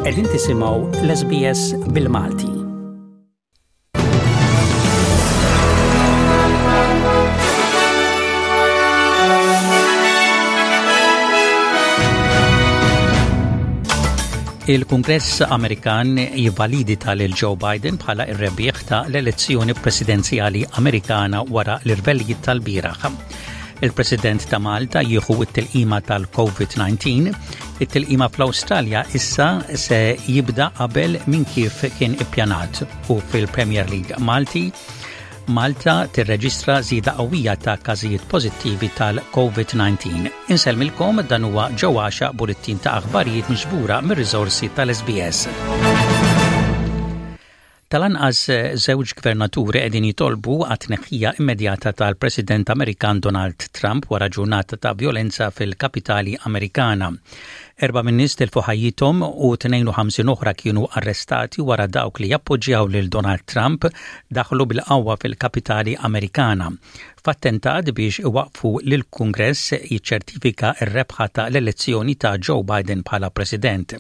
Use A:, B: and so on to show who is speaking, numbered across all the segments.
A: Qegħdin tisimgħu l-SBS bil-Malti. Il-Kungress Amerikan jivvalidita lil Joe Biden bħala r-rebbieħ ta' l-elezzjoni presidenzjali Amerikana wara l-irvellijiet tal-bieraħ. Il-President ta' Malta jieħu t-tilqima tal-COVID-19. It-tilqima fl-Awstralja issa se jibda qabel minn kif kien ippjanat u fil-Premier League Malti Malta tirreġistra żieda qawwija ta' każijiet pożittivi tal-COVID-19. Insellmilkom dan huwa Ġo Għaxa bulettin ta' aħbarijiet miġbura mir-riżorsi tal-SBS. Tal-anqas żewġ gvernaturi qegħdin jitolbu għat-tneħħija immedjata tal-President Amerikan Donald Trump wara ġurnata ta' vjolenza fil-kapitali Amerikana. Erbgħa min-nies tilfu ħajjithom u 52 oħra kienu arrestati wara dawk li jappoġġjaw lil Donald Trump daħlu bil-qawwa fil-kapitali Amerikana f'attentat biex iwaqqfu lill-Kungress jiċċertifika r-rebħa ta' l-elezzjoni ta' Joe Biden bħala President.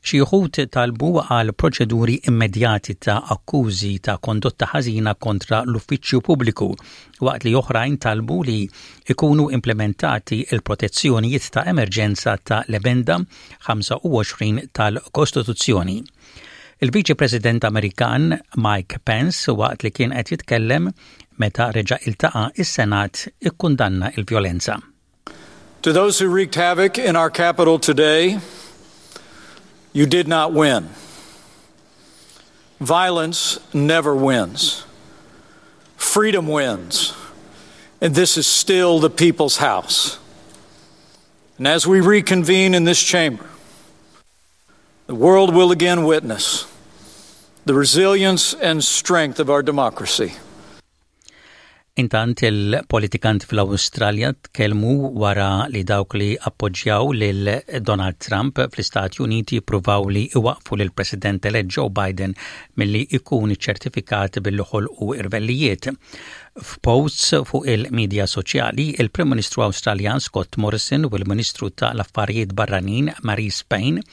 A: Xi wħud talbu għal proċeduri immedjati ta' akkużi ta' kondotta ħażina kontra l-uffiċċju pubbliku, waqt li oħrajn talbu li jkunu implimentati l-protezzjonijiet ta' emerġenza ta' l-Emenda 25 tal-Kostituzzjoni. Il-Viċi President Amerikan Mike Pence waqt li kien qed jitkellem meta reġa' iltaqa' is-Senat ikkundanna l-vjolenza.
B: To those who wreaked havoc in our capital today, you did not win. Violence never wins. Freedom wins. And this is still the people's house. And as we reconvene in this chamber, the world will again witness the resilience and strength of our democracy.
A: Intant il-politikanti fl-Awstralja tkellmu wara li dawk li appoġġjaw lil Donald Trump fl-Istati Uniti jippruvaw li iwaqqfu lil President elett Joe Biden milli jkun iċċertifikat billi ħolqu irvellijiet. F'posts fuq il-midja soċjali, il-Prim Ministru Awstraljan Scott Morrison u l-Ministru ta' l-Affarijiet Barranin Marise Payne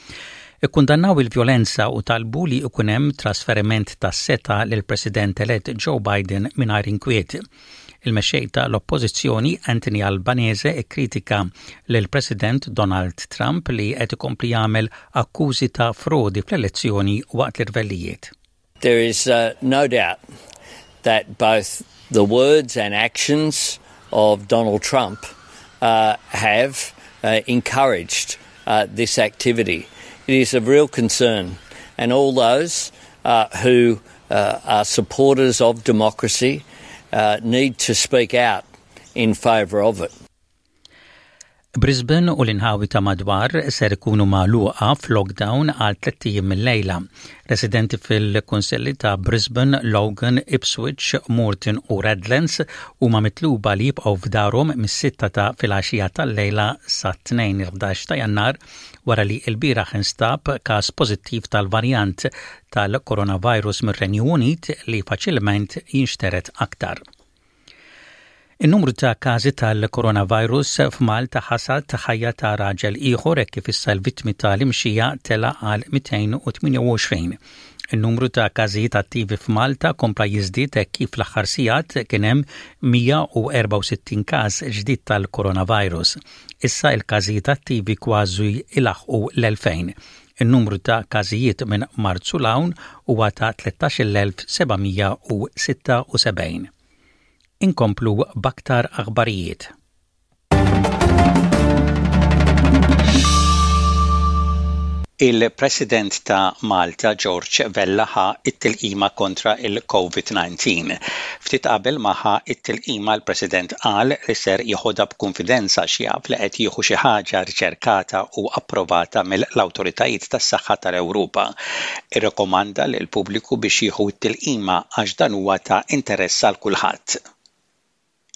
A: Ikkundannaw il-vjolenza u talbu li jkun hemm trasferiment tas-setgħa lill-President elett Joe Biden mingħajr inkwiet. Il-mexxej ta' l-Oppożizzjoni Anthony Albanese kkritika lill-President Donald Trump li qed ikompli jagħmel akkużi ta' frodi fl-elezzjoni waqt l-irvellijiet.
C: There is uh, no doubt that both the words and actions of Donald Trump uh, have uh, encouraged uh, this activity. It is of real concern, and all those uh, who uh, are supporters of democracy uh, need to speak out in favour of it.
A: Brisbane u l-inħawi ta' madwar ser ikunu magħluqa f'lockdown għal tlett ijiem mil-lejla. Residenti fil-kunsilli ta' Brisbane, Logan, Ipswich, Moreton u Redlands huma mitluba li jibqgħu f'darhom mis-sitta ta' filgħaxija tal-lejla sat-Tnejn il-11 ta' Jannar wara li lbieraħ instab każ pożittiv tal-varjant tal-coronavirus mir-Renju Unit li faċilment jinxtered aktar. In-numru ta' każi tal-coronavirus f'Malta ħasad ħajja ta' raġel ieħor hekk kif issa l-vittmi tal-imxija tela' għal 228. In-numru ta' każijiet attivi f'Malta kompla jiżdied hekk kif fl-aħħar sigħat kien hemm 164 każ ġdid tal-coronavirus. Issa il-każijiet attivi kważi ilaħħqu l-2000. In-numru ta' każijiet minn Marzu 'l hawn huwa ta' 13,776. Inkomplu b'aktar aħbarijiet. Il-President ta' Malta George Vella ħa t-tilqima kontra il-COVID-19. Ftit qabel ma ħa t-tilqima l-President qal li ser jeħodha b'kunfidenza għax jaf li qed jieħu xi ħaġa riċerkata u approvata mill-awtoritajiet tas-saħħa tal-Ewropa. Irrekomanda lill-pubbliku biex jieħu t-tilqima għax dan huwa ta' interess għal kulħadd.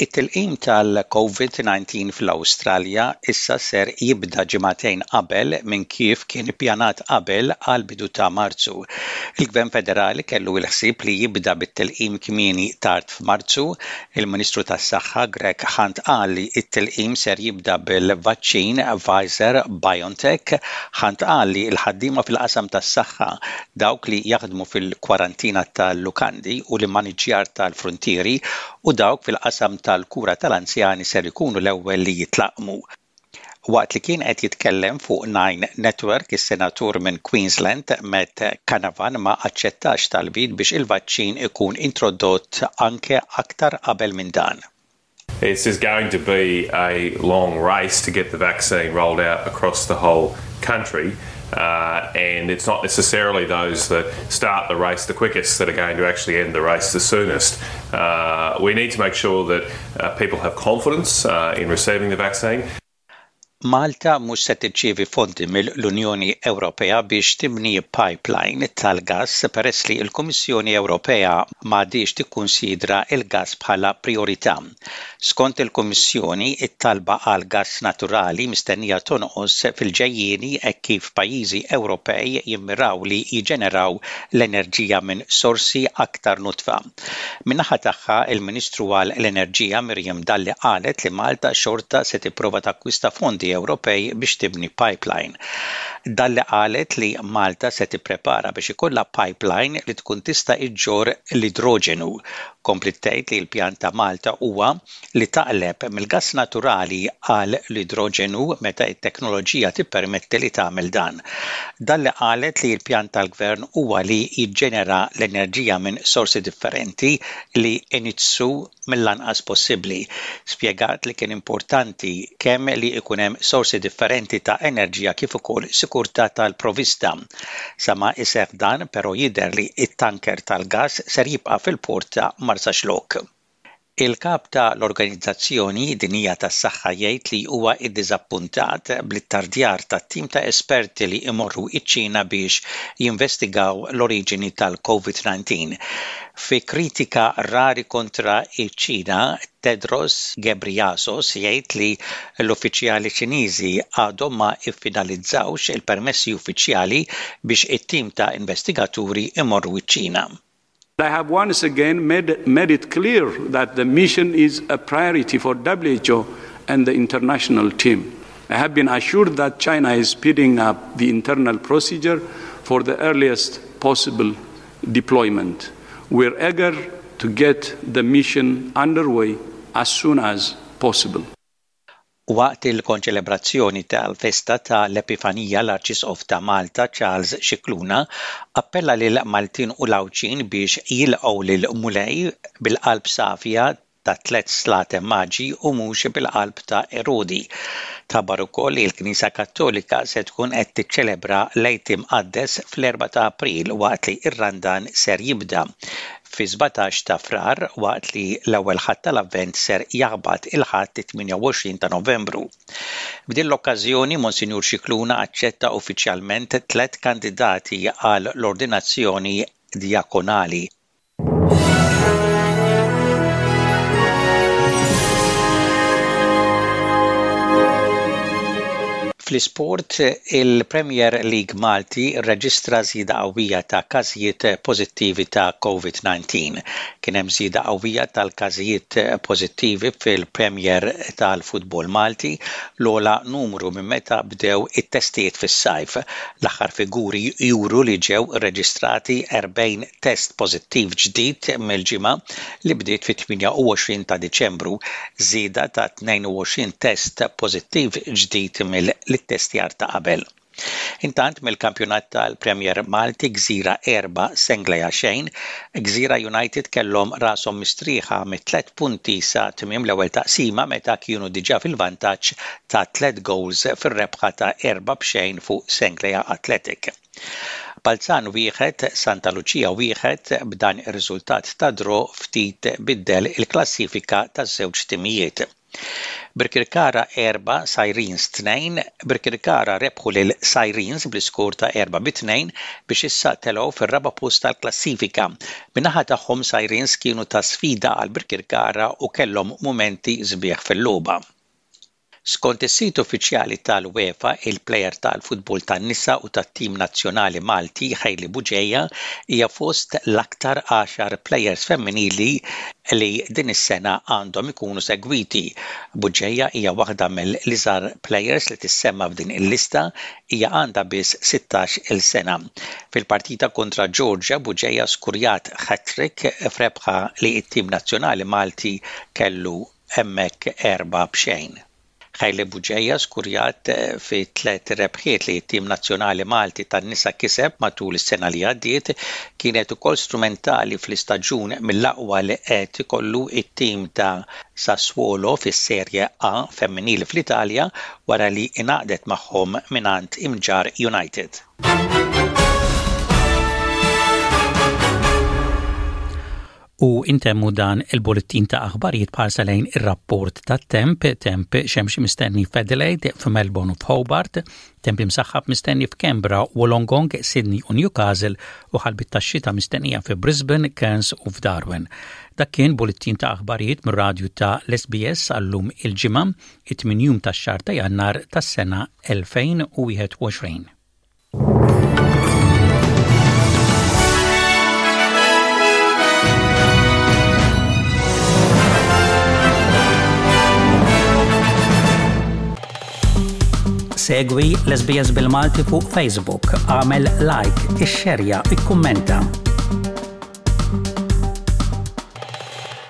A: It-tilqim tal-Covid-19 fl-Awstralja issa ser jibda ġimagħtejn qabel minn kif kien ippjanat qabel għall-bidu ta' Marzu. Il-Gvern Federali kellu l-ħsieb li jibda bit-tilqim kmieni tard f'Marzu. Il-Ministru tas-Saħħa Greg Hunt qal li t-tilqim ser jibda bil-vaċċin Pfizer BioNTech. Hunt qal li l-ħaddiema fil-qasam tas-saħħa, dawk li jaħdmu fil-kwarantina tal-lukandi u l-immaniġġjar tal-fruntieri u dawk fil-qasam tal-kura tal-anzjani ser ikunu l-ewwel li jitlaqqmu. Waqt li kien qed jitkellem fuq Nine Network, is-Senatur minn Queensland, Matt Canavan ma aċċettax talbiet biex il-vaċċin ikun introdott anke aktar qabel minn dan.
D: This is going to be a long race to get the vaccine rolled out across the whole country. Uh, and it's not necessarily those that start the race the quickest that are going to actually end the race the soonest. Uh, we need to make sure that uh, people have confidence uh, in receiving the vaccine.
A: Malta mhux se tirċievi fondi mill-Unjoni Ewropea biex tibni pipeline tal-gass peress li l-Kummissjoni Ewropea m'għadhiex tikkunsidra l-gass bħala prijorità. Skont il-Kummissjoni, it-talba għal gass naturali mistennija tonqos fil-ġejjieni hekk kif pajjiżi Ewropej jimmiraw li jiġġeneraw l-enerġija minn sorsi aktar nodfa. Min-naħa tagħha, il-Ministru għal l-Enerġija Miriam Dalli qalet li Malta xorta se tipprova takkwista fondi Ewropej biex tibni pipeline. Dalli qalet li Malta se tipprepara biex ikollha pipeline li tkun tista' iġġorr l-idroġenu. Kompliet tgħid li l-pjan ta' Malta huwa li taqleb mill-gass naturali għal l-idroġenu meta t-teknoloġija tippermetti li tagħmel dan. Dalli qalet li l-pjan tal-Gvern huwa li jiġġenera l-enerġija minn sorsi differenti li jniġġsu mill-anqas possibbli. Spjegat li kien importanti kemm li jkun hemm sorsi differenti ta' enerġija kif ukoll sikurtà tal-provista. Sa ma jseħħ dan però jidher li t-tanker tal-gass ser jibqa' fil-port ta' Marsaxlokk. Il-Kap ta' l-Organizzazzjoni Dinjija tas-Saħħa jgħid li huwa ddiżappuntat bl-ittardjar tat-tim ta' esperti li imorru ċ-Ċina biex jinvestigaw l-oriġini tal-Covid 19. Fi kritika rari kontra ċ-Ċina, Tedros Ghebreyesus jgħid li l-uffiċjali Ċiniżi għadhom ma ffinalizzawx il-permessi uffiċjali biex it-tim ta' investigaturi imorru ċ-Ċina.
E: I have once again made, made it clear that the mission is a priority for WHO and the international team. I have been assured that China is speeding up the internal procedure for the earliest possible deployment. We're eager to get the mission underway as soon as possible.
A: Waqt il-konċelebrazzjoni tal-festa ta' l-Epifanija l-Arċisqof ta' Malta Charles Scicluna appella lil Maltin u l-Għawdxin biex jilqgħu lill-Mulej bil-qalb safja tat-tlett slaten maġi u mhux bil-qalb ta' Erodi. Tħabbar ukoll li l-Knisja Kattolika se tkun qed tiċċelebra l-Għid Imqaddes fl-Erbgħa ta' April waqt li r-Randan ser jibda fi-17 ta' Frar waqt li l-ewwel Ħadd tal-Avvent ser jaħbat il-Ħadd it-28 ta' Novembru. F'din l-okkażjoni Monsinjur Scicluna aċċetta uffiċjalment tlett kandidati għal l-ordinazzjoni djakonali. Fl-isport, il-Premier League Malti rreġistra żieda qawwija ta' każijiet pożittivi ta' Covid-19. Kien hemm żieda qawwija tal-każijiet pożittivi fil-Premier tal-futbol Malti, l-ogħla numru minn meta bdew it-testijiet fis-sajf. L-aħħar figuri juru li ġew irreġistrati 40 test pożittiv ġdid mill-ġimgħa li bdiet fit-28 ta' Diċembru, żieda ta' 22 test pożittiv ġdid mill-ittestjar ta' qabel. Intant mill-kampjonat tal-Premier Malti Gżira 4 Senglea xejn, Gżira United kellhom rashom mistrieħa mit-tliet punti sa tmiem l-ewwel taqsima meta kienu diġà fil-vantaġġ ta' tliet gowls fir-rebħa ta' 4-0 fuq Senglea Athletic. Balzan wieħed, Santa Lucia wieħed, b'dan ir-riżultat ta' draw ftit biddel il-klassifika taż-żewġ timijiet. Birkirkara 4, Sirens 2, Birkirkara rebħu lil Sirens bl-iskor ta' 4 bi 2 biex issa telgħu fir-raba' post tal-klassifika. Min-naħa tagħhom Sirens kienu ta' sfida għal Birkirkara u kellhom mumenti sbieħ fil-logħba. Skont is-sit uffiċjali tal-UEFA, il-plejer tal-futbol tan-nisa u tat-tim nazzjonali Malti Hailey Bugeja hija fost l-aktar għaxar plejers femminili li din is-sena għandhom ikunu segwiti. Bugeja hija waħda mill-iżgħar plejers li tissemma f'din il-lista, hija għandha biss 16 il sena. Fil-partita kontra Georgia, Bugeja skurjat hat-trick f'rebħa li t-tim nazzjonali Malti kellu hemmhekk 4-0. Hailey Bugeja skurjat fi tliet rebħiet li t-tim nazzjonali Malti tan-nisa kiseb matul is-sena li għaddiet, kienet ukoll strumentali fl-istaġun mill-aqwa li qed ikollu t-tim ta' Sassuolo fis-Serie A femminili fl-Italja wara li ingħaqdet magħhom mingħand Imġarr United. U intemmu dan il-bullettin ta' aħbarijiet b'ħarsa lejn ir-rapport tat-temp, temp xemxi mistenni f'Adelaide, f'Melbourne u f'Hobart, temp imsaħħab mistenni f'Canberra, Wollongong, Sydney u Newcastle u ħalbiet tax-xita mistennija fi Brisbane, Cairns u f'Darwin. Dak kien bullettin ta' aħbarijiet mir-radju ta' l-SBS għallum il-Ġimgħa, it-tmien jum tax-xahar ta' Jannar tas-sena 2021. Segwi l-SBS bil-Malti fuq Facebook, għamel like, ixxerja, ikkummenta.